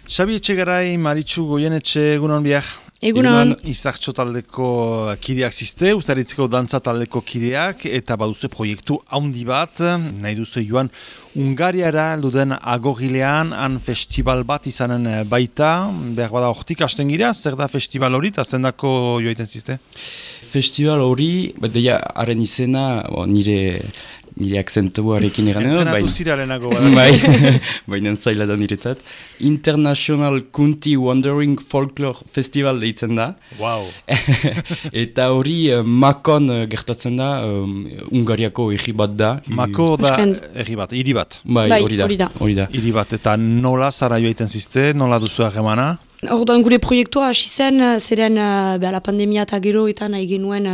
Xabi Etxegarai, Maritxu Goienetxe, egunon biak. Egunon. Izartxo taldeko kideak ziste, Uztaritzeko dantza taldeko kideak, eta baduze proiektu haundi bat, nahi duze joan Ungariara luden agogilean, han festival bat izanen baita, behar bada hortik hasten gira, zer da festival hori, eta zendako joaiten ziste? Festival hori, deia haren izena, nire akzentuarekin eranen. Entrenatu zirarenago. Baina zaila da niretzat. International Kunti Wandering Folklore Festival deitzen da. Wow. Eta hori Makon gertatzen da, Ungariako egi bat da. Mako da egi bat, hiri bat. Bai, hori da. Hiri bat, eta nola zara joaiten ziste, nola duzu harremana? Orduan gure proiektua hasi zen, zeren la pandemia eta gero eta nahi genuen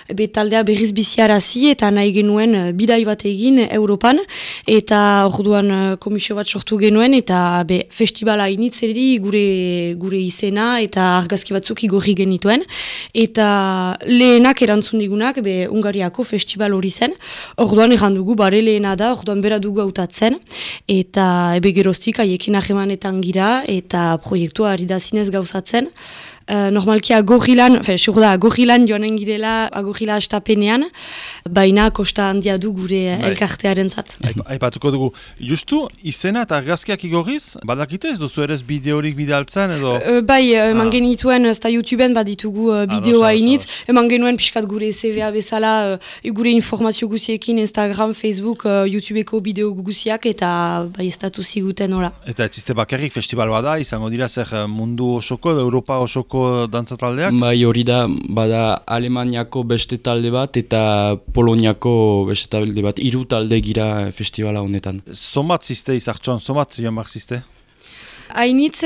taldea berriz biziarazi eta nahi genuen bidai bat egin Europan, eta orduan komisio bat sortu genuen eta festivala initzeri gure izena eta argazki batzuk igorri genituen, eta lehenak erantzun digunak Ungariako festival hori zen, orduan errandugu bare lehena da, orduan bera dugu hautatzen, eta geroztik haiekin ahemanetan gira, eta proiektua ari da zinez gauzatzen. Normalki agorrilan joanen girela agorrila astapenean, baina kosta handia du gure elkartearen zat. Aipatuko dugu, justu izena eta argazkiak igorriz, badakite ez duzu ere bideorik bidaltzen edo? Eman genituen, ez da YouTubeen baditugu bideoa initz, eman genuen pixkat gure CV-a bezala, gure informazio guziekin Instagram, Facebook, YouTubeko bideo guziak, eta estatu ziguten hola. Eta etziste bakarrik festival bada, izango dira zer mundu osoko, Europa osoko dantza taldeak? Bai, hori da, bada Alemaniako beste talde bat eta Poloniako beste talde bat, 3 talde gira festivala honetan. Somat ziste izartxon, somat joan bar ziste? Hainitz,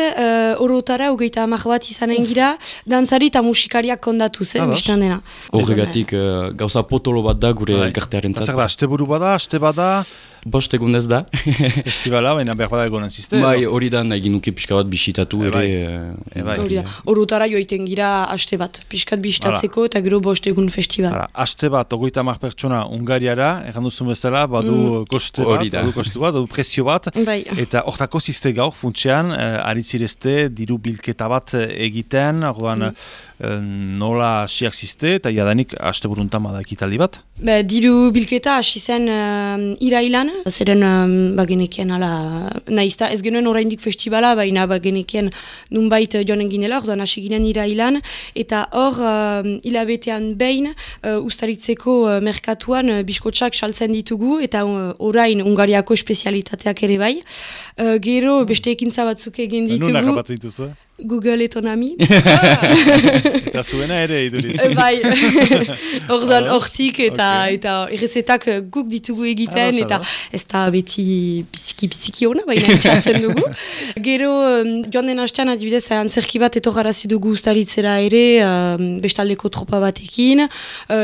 orotara, 30 bat izanen gira, dantzari eta musikariak kondatu zen, biztan dena. Horregatik, gauza potolo bat da gure elkartearen zat. Zer da, asteburu bada, aste bada? 5 egun ez da. Festivala, baina behar bada egonen ziste? Bai, hori da, nahi ginuke pixka bat bisitatu ere. Hori da, orotara joiten gira aste bat, pixkat bisitatzeko eta gero 5 egun festival. Aste bat, 30 pertsona Ungariara, erran duzun bezala, badu koste bat, badu prezio bat, eta hortako ziste gaur, funtsean, aritzirezte, diru bilketa bat egiten, orduan nola hasiak ziste, eta jadanik aste buruntan bada ekitaldi bat? Diru bilketa hasi zen irailan, zeren bagenekien nahizta, ez genuen oraindik festivala, baina bagenekien nunbait joanen ginela, orduan hasi ginen irailan, eta hor hilabetean behin Uztaritzeko merkatuan biskotsak saltzen ditugu, eta orain Ungariako espezialitateak ere bai. Gero beste ekintza batzuk egin ditugu. Nuna kapatzen dituzu? Google etonami. Eta zuena ere iduriz. Bai, orduan hortik eta errezetak guk ditugu egiten, eta ez da beti biziki hona, baina entzatzen dugu. Gero, joan den hastean adibidez, antzerki bat etorrarazi dugu Uztaritzera ere, bestaldeko tropa batekin,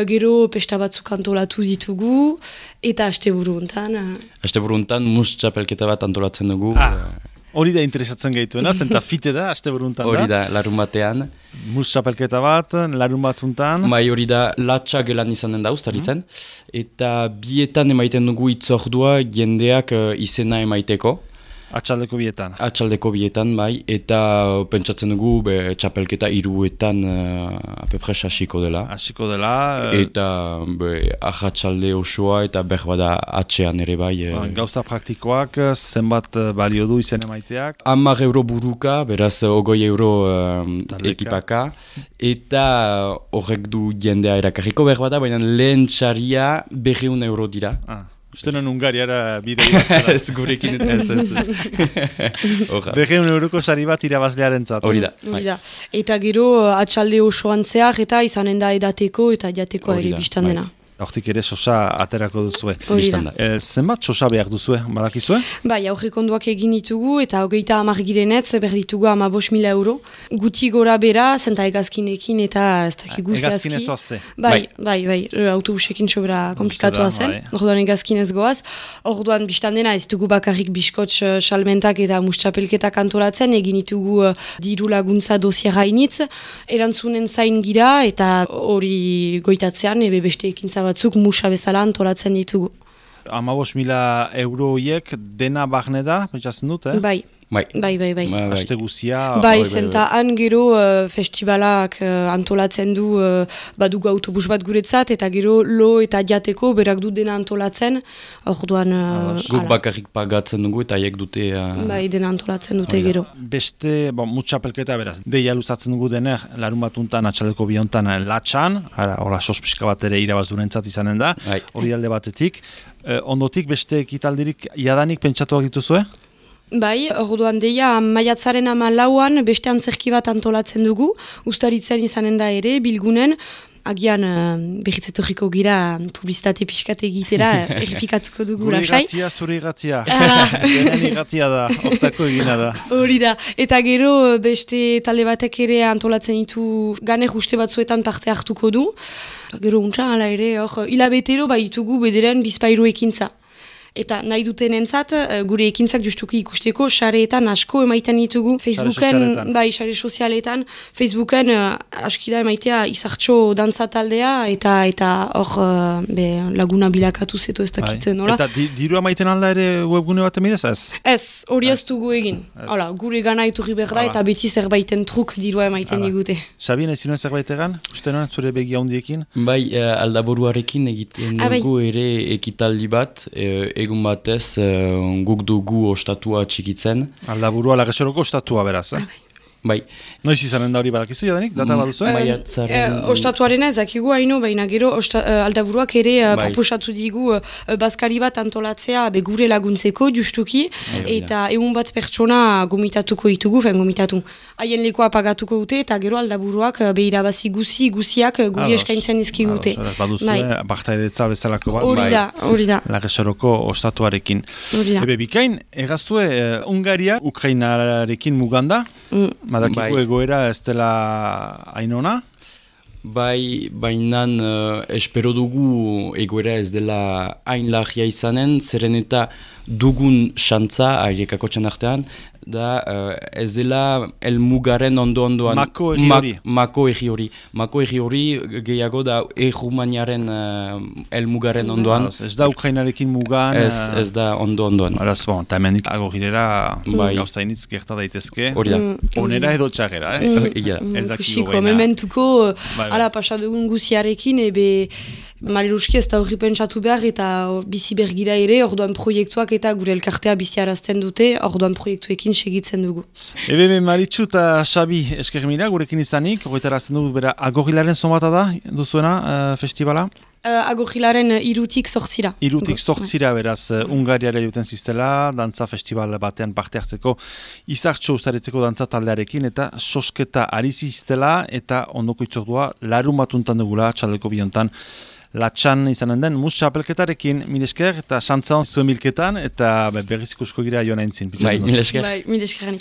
gero pesta batzuk antolatu ditugu, eta asteburu hontan. Asteburu hontan mus txapelketa bat antolatzen dugu. Hori da interesatzen gaituena, zenta fite da, asteburuntan da. Hori da, larun batean. Mus txapelketa bat, larun batzuntan. Bai, hori da, latxa gelan izanen da, Uztaritzen. Eta bietan emaiten dugu itzordua jendeak izena emaiteko. Atxaldeko bietan. Atxaldeko bietan, bai, eta pentsatzen dugu txapelketa 3etan apepres hasiko dela. Hasiko dela. Eta ahatsalde osoa eta berbada atxean ere bai. Gauza praktikoak, zenbat balio du izen emaiteak? 10 euro buruka, beraz 20 euro ekipaka. Eta horrek du jendea erakarriko berbada, baina lehen txaria 200 euro dira. Ustenon Ungariara bidei bat zara. Ez gurekin ez. 200 euroko sari bat irabazlearen zat. Hori da. Eta gero atxalde osoan zehar eta izanen da edateko eta jateko ere biztan dena. Hortik ere sosa aterako duzue. Zenbat sosa behar duzue, badakizue? Bai, aurrekonduak egin ditugu eta 30 girenetz berditugu 15.000 euro. Guti gora bera, zenta egazkinekin eta ez dakigu zehazki. Egazkinez oazte? Bai, autobusekin sobera komplikatua zen. Orduan egazkinez goaz. Orduan biztan dena ez dugu bakarrik biskotx salmentak eta mustxapelketak antolatzen, egin ditugu diru laguntza dosiera initz, erantzunen zain gira eta hori goitatzean beste ekintza batzuk musa bezala antolatzen ditugu. 15.000 euro horiek dena barne da, pentsatzen dut, Bai. Bai. Aste guzia. Bai, zenta han gero festivalak antolatzen du, badugu autobus bat guretzat, eta gero lo eta jateko berak du dena antolatzen, orduan... Guk bakarrik pagatzen dugu eta haiek dute... Bai, dena antolatzen dute gero. Beste, mutxapelketa beraz, deia luzatzen dugu dener, larun batuntan, atxaleko biontan latxan, hola sospixka bat ere irabazdurentzat izanen da, hori alde batetik. Ondotik, beste ekitaldirik jadanik pentsatuak dituzue? Bai, orduan deia maiatzaren 14an beste antzerki bat antolatzen dugu, Uztaritzen izanen da ere, Bilgunen, agian berritzetorriko gira publizitate pixkate egitera, errepikatuko dugu lasai. Zure irratia. Denen irratia da, hortako egina da. Hori da, eta gero beste talde batek ere antolatzen ditu ganer uste batzuetan parte hartuko du. Gero untsa, hala ere, hilabetero baitugu bederen bizpairu ekintza. Eta nahi duten entzat, gure ekintzak justuki ikusteko, sareetan asko emaiten ditugu. Facebooken, bai, sare sozialetan, Facebooken askida emaitea izartxo dantza taldea, eta hor laguna bilakatu zeto ez dakitzen, nola? Eta dirua maiten alda ere webgune bat emidez, ez? Ez, hori ez dugu egin. Hala, gure gana iturri behar da, eta beti zerbaiten truk dirua emaiten digute. Sabien, ez zinuen zerbait egan? Uste nuen, zure begia hundiekin? Bai, aldaburuarekin egiten dugu ere ekitaldi bat, egun batez guk dugu ostatua txikitzen. Aldaburua Lagesoroko ostatua beraz, Bai. Noiz izanen da hori badakizu jadanik? Data baduzu? Ostatuarena ezakigu haino, baina gero aldaburuak ere proposatu digu bazkari bat antolatzea gure laguntzeko justuki, eta egun bat pertsona gomitatuko ditugu, gomitatu. Haien lekoa pagatuko dute, eta gero aldaburuak irabazi guziak guri eskaintzen izkigute. Baduzue, baktaidetza bezalako bat, hori da. Lagesoroko ostatuarekin. Ebe bikain, egaztue Ungaria, Ukrainarekin muganda, Madakiko egoera ez dela hainona? Bai, bainan espero dugu egoera ez dela hain lagia izanen, zeren eta dugun xantza, airekako txanartean, da ez dela elmugaren ondo-ondoan... Mako egi hori. Mako egi hori gehiago da Errumaniaren elmugaren ondoan. Ez da Ukrainarekin mugan... Ez da ondo-ondoan. Horaz, eta hemendik agogirera gauzainitz gerta daitezke. Hori da. Onera edo txagera, ez dakiko goena. Mementuko, ala pasadugun guziarekin, Mariruski ez da horri pentsatu behar eta bizi bergira ere, orduan proiektuak eta gure elkartea biziarazten dute, orduan proiektuekin segitzen dugu. Maritxu eta Xabi eskermira, gurekin izanik, horretarazten dugu, bera, Agorrilaren zonbata da, duzuena, festivala? Agorrilaren 3-tik 8. 3-tik 8 beraz, Ungariara juten ziztela, dantza festival batean parte hartzeko, izartxo ustaretzeko dantza taldearekin, eta sosketa ari ziztela, eta ondoko itzordua, larun batuntan dugula, txaldeko biontan, latxan izanen den musa apelketarekin, milesker eta xantza zuen milketan, eta berriz ikusko gira joan aintzin. Bai, milesker. Bai, milesker.